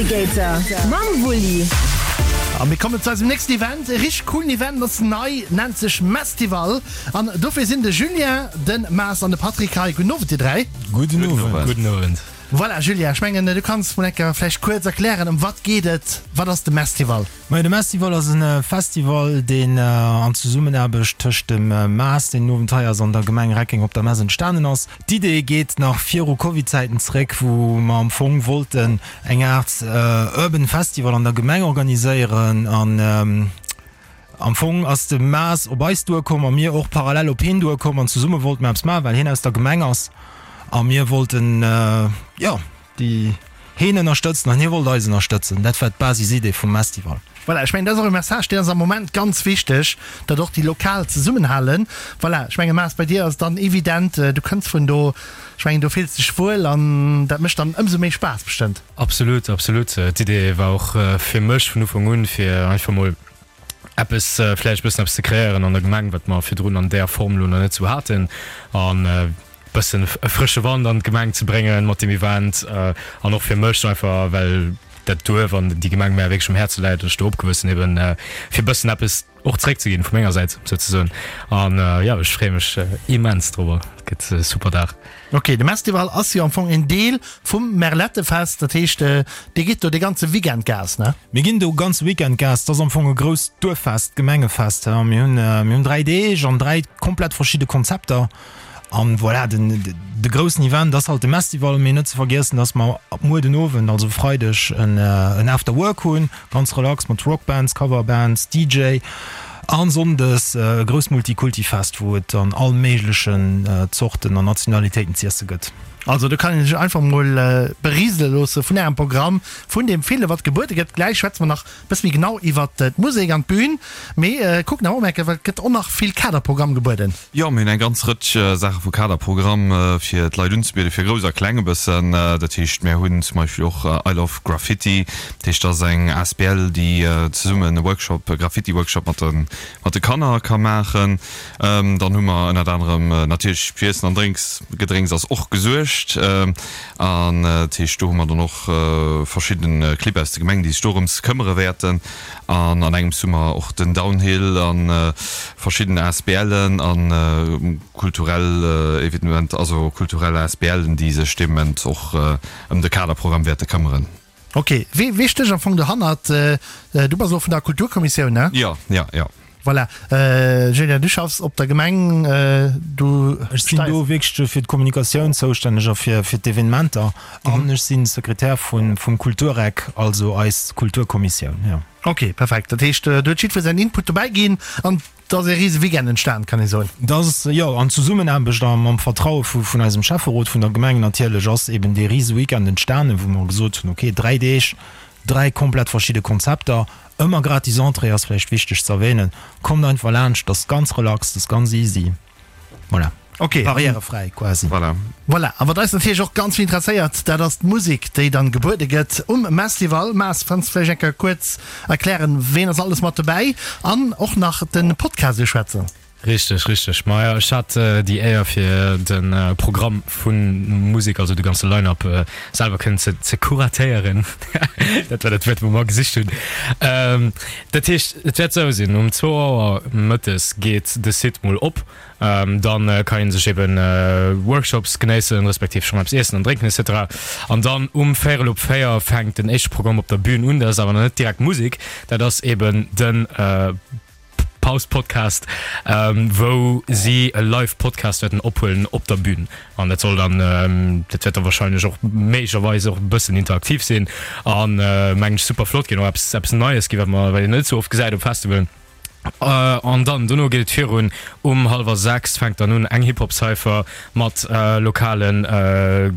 Navigator mam Wulli. A mir kommen zu eisem nächsten Event, e richteg coolen Event, ass nei, nennt sech Mestival an dofir sinn de Julien, de Maas an de Patrick hei. Gudden Owend dir 3. Gudden Owend. Gudden Owend. Voilà Julien, ech mengen du kanns mol enker vläicht kuerz erklären ëm wat geet et, wat ass de Mestival? Majo, de Mestival ass e Festival, deen an Zesummenaarbecht tëscht dem Maas, deen den Owend hei ass, an der Gemeng Reckeng op der Mess entstanen ass. D'Idee geet nach viru Covid-Zäiten zeréck, wou mer am Fong wollten eng Aart Urban Festival an der Gemeng organiséieren. An am Fong ass de Maas op eis duerkomm a mir och parallel op hien duerkomm an zesumme wollte mer eppes maachen, well hien aus der Gemeng ass a mir wollten, jo, Déi heen ënnerstëtzen an hie wollt eis ënnerstëtzen. Dat war d'Basisidee vum Mestival. Voilà, ech mengen, dat ass och e Message, deen ass am Moment ganz wichteg, datt och déi Lokal zesummenhalen. Voilà, ech mengen, Maas, bei dir ass et dann evident, du kënns vun do, ech mengen, do fills de dech wuel an dat mécht dann ëmsou méi Spaass bestëmmt. Absolut, absolut. D'Idee war och fir mech vun Ufank un, fir einfach mol eppes, vläicht e bëssen eppes ze kreéieren an der Gemeng, wat mer virdrun an där Form elo nach net esou haten. An bëssen e frësche Wand an d'Gemeng ze bréngen mat deem Event an och fir mech einfach well dat Duerf an déi Gemeng mär wierklech um Häerze läit an ech do opgewuess sinn eben fir bëssen eppes och zeréck ze ginn vu menger Säit souzesoen an jo ech freeë mech immens dorobber, et gëtt e super Dag. Ok, de Mestival ass jo am Fong en Deel vum Merlettefest, dat heescht dir gitt do de ganze Weekend Gas, ne? Mir ginn do ganze Weekend Gas, et ass am Fong e grousst Duerffest, Gemengefest. Mir hunn mir hunn 3 Deeg an 3 komplett verschidde Konzepter. An voilà, den, de groussen Event ass halt de Mestival, mee net ze vergiessen, dass mer ab muer den Owend, also Freideg, en, en After Work hunn, ganz relax mat Rockbands, Coverbands, DJ. An Sonndes e grousst Multikulti-Fest, wou et an all méiglechen Zorten an Nationalitéiten z'iesse gëtt. Also do kann een sech einfach mol berisele loosse vun ärem Programm, vun deem ville wat gebuede gëtt. Gläich schwätze mer nach Bësse méi genau iwwert d'Musek an d'Bühn, mee kucken awer och merken, well et gëtt och nach vill Kaderprogramm gebueden. Jo, mir hunn eng ganz Rëtsch Saache vu Kaderprogramm fir d'Leit unzebieden, fir Grouss a Kleng e bëssen. Dat heescht, mär hunn zum Beispill och I Love Graffiti, dat heescht, dat ass eng asbl, déi zesummen e Workshop, e Graffiti-Workshop mat de mat de Kanner ka maachen. Dann hu mer ënnert anerem natierlech fir Iessen an Drénks, Gedrénks ass och gesuergt. An dat heescht, do hu mer dann och verschidden Clibb aus der Gemeng, déi sech dorëms këmmere wäerten. An an engems hu mer och den Downhill a verschidden ASBLen a kulturell Evenementer, also kulturell ASBLen, déi sech dee Moment och ëm de Kaderprogramm wäerte këmmeren. Ok, wee, wee stécht am Fong dohannert? Du bass elo vun der Kulturkommissioun, ne? Jo, jo, jo. Voilà. Julien, du schaffs op der Gemeng, du. Ech sinn do wierklech fir d'Kommunikatioun zoustänneg a fir, fir d'Evenementer an ech sinn Sekretär vun, vum Kultureck, also eis Kulturkommissioun, jo. Ok, perfekt. Dat heescht, do huet jiddwer säin Input dobäi ginn an Et ass ee rise Weekend entstan, kann ee soen. Et ass, jo, an Zesummenaarbecht a mam Vertraue vu vun eisem Schäfferot, vun der Gemeng natierlech, ass eben dee rise Weekend entstanen, wou mer gesot hunn, okay, 3 Deeg, 3 komplett verschidde Konzepter, ëmmer gratis Entrée ass vläicht wichteg ze erwähnen, kommt einfach laanscht, et ass ganz relax, et ass ganz easy. Voilà. Ok. Barrièrefräi quasi. Voilà. Voilà. A wat eis natierlech och ganz vill interesséiert, dat ass d'Musek, déi dann gebuede gëtt um Mestival. Maas, kanns de vläicht eng Kéier kuerz erklären, ween ass alles mat dobäi an och nach de Podcast uschwätzen? Richteg, richteg. Maja, ech hat déi Éier fir de Programm vun Musek, also de ganze Line-Up selwer kënnen ze ze kuratéieren. Dat war dat Wuert, wou mer gesicht hunn. Dat heescht, et wäert esou sinn, um zwou Auer mëttes geet de Site mol op. Dann kann een sech eben Workshops genéissen, respektiv schonn eppes iessen an drénken etc. An dann um véierel op 4 fänkt den éischte Programm op der Bühn un. Dat ass awer nach net direkt Musek, dat ass eben de Paus Podcast, wou si e Live Podcast wäerten ophuelen op der Bühn. An dat soll dann, dat wäert da wahrscheinlech och méiglecherweis och e bëssen interaktiv sinn an mengen ech super flott ginn, och eppes eppes Neies ginn, wat mer wat een net esou oft gesäit op Festivalen. An dann dono geet et virun, um hallwer 6 fänkt dann un eng Hip-Hop-Cypher mat lokalen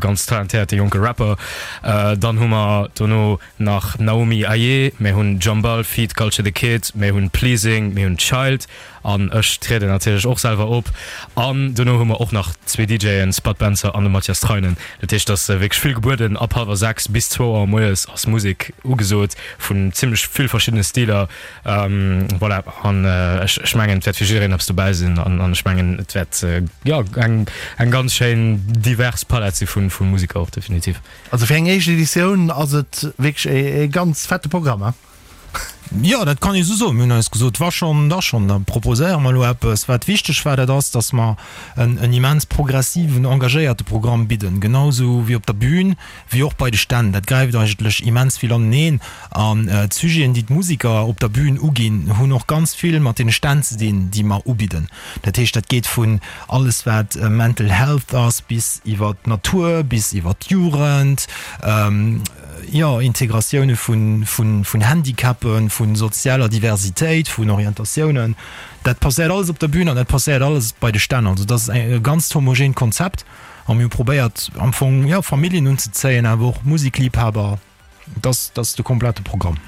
ganz talentéierte jonke Rapper. Dann hu mer dono nach Naomi Aye, mir hunn Jambal feat. Culture the Kid, mir hunn Pleasing, mir hunn Child an ech trieden natierlech och selwer op. An dono hu mer och nach zwee DJen, Spud Benzer an de Mathias Treinen. Dat heescht, et ass wierklech vill gebueden. Ab hallwer 6 bis zwou Auer moies ass Musek ugesot vun zimmlech vill verschiddene Stiler. Voilà, an. An ech ech mengen, et wäert fir jiddereen eppes dobäi sinn an an ech mengen, et wäert jo eng eng ganz schéin divers Palett si vu vu Museker och definitiv. Also fir eng éischt Editioun ass et wierklech e ganz fette Programm, he? Jo, dat kann ee sou soen. Mir hunn eis gesot, wa schonn, da schonn, da proposéiere mer elo eppes. Wat wichteg war, dat ass, datt mer en en immens progressiven, engagéierte Programm bidden, genau sou wéi op der Bühn, wéi och bei de Stänn. Dat gräift eigentlech immens vill aneneen. An d'Sujeten, déi d'Musiker op der Bühn uginn, hunn och ganz vill mat deene Stänn ze dinn, déi mer ubidden. Dat heescht, dat geet vun alles wat Mental Health ass, bis iwwer d'Natur, bis iwwer d'Jugend, jo, Integratioune vun Handicapen, vu sozialer Diversitéit, vun Orientatiounen. Dat passéiert alles op der Bühn an dat passéiert alles bei de Stänn. Also dat ass e ganzt homogeent Konzept a mir hu probéiert am Fong, jo, Familljen unzezéien, awer och Musikliebhaber. Dat ass de komplette Programm.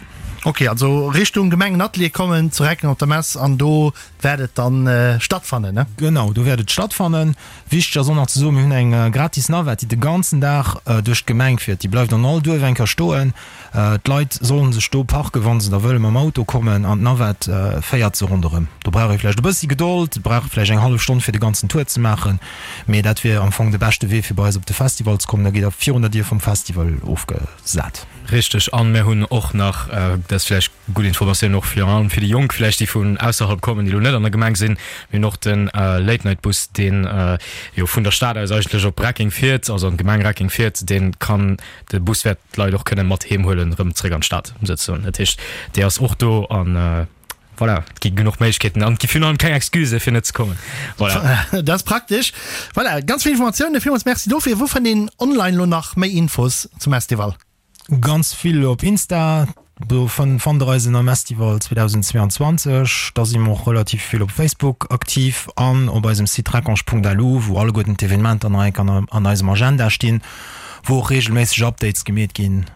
Ok, also Richtung Gemengenatelier kommen, zu Recken op der Mess an do wäert et dann stattfannen, ne? Genau, do wäert et stattfannen. Wichteg ass och nach ze soen, mir hunn eng gratis Navette, déi de ganzen Dag duerch d'Gemeng fiert. Déi bleift an all Duerf eng Kéier stoen. D'Leit sollen sech do parken, wa se da wëlle mam Auto kommen, an d'Navette féiert se ronderëm. Do brauch ee vläicht e bëssi Gedold, et brauch ee vläicht eng hallef Stonn fir de ganzen Tour ze maachen, mee dat wier am Fong de beschte Wee fir bei eis op de Festival ze kommen. Da gitt der virun der Dier vum Festival ofgesat. Richteg, an mir hunn och nach, dat ass vläicht gutt Informatioun och virun allem fir déi Jonk vläicht, déi vun ausserhalb kommen, déi elo net an der Gemeng sinn, mir hunn och de Late Night Bus, deen jo vun der Stad aus eigentlech op Reckeng fiert, also an d'Gemeng Reckeng fiert. Dee kann, de Bus wäert d'Leit och kënne mat heem huelen, erëm zréck an d'Stad souzesoen. Dat heescht, dee ass och do an voilà, et gi genuch Méiglechkeeten an et gi virun allem keng Excusë fir net ze kommen. Voilà. Dat ass praktesch. Voilà, ganz vill Informatiounen. Villmools Merci dofir. Wou fënnt een online elo nach méi Infos zum Estival? Ganz vill op Insta, do fannt der eis ënner Mestival 2022. Da si mer och relativ vill op Facebook aktiv an op eisem Site recange.lu, wou alleguerten d'Evenementer nach eng Kéier an eisem Agenda stinn, wou och reegelméisseg Updates gemeet ginn.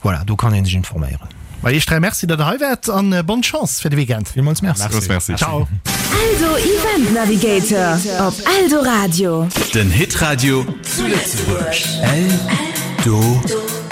Voilà, do kann ee sech informéieren. Ma iech 3 Merci, datt der hei waart an bonne Chance fir de Weekend. Villmools Merci. Villmools Merci. Ciao. Eldo Event Navigator op Eldoradio. Den Hitradio zu Lëtzebuerg. Eldoradio.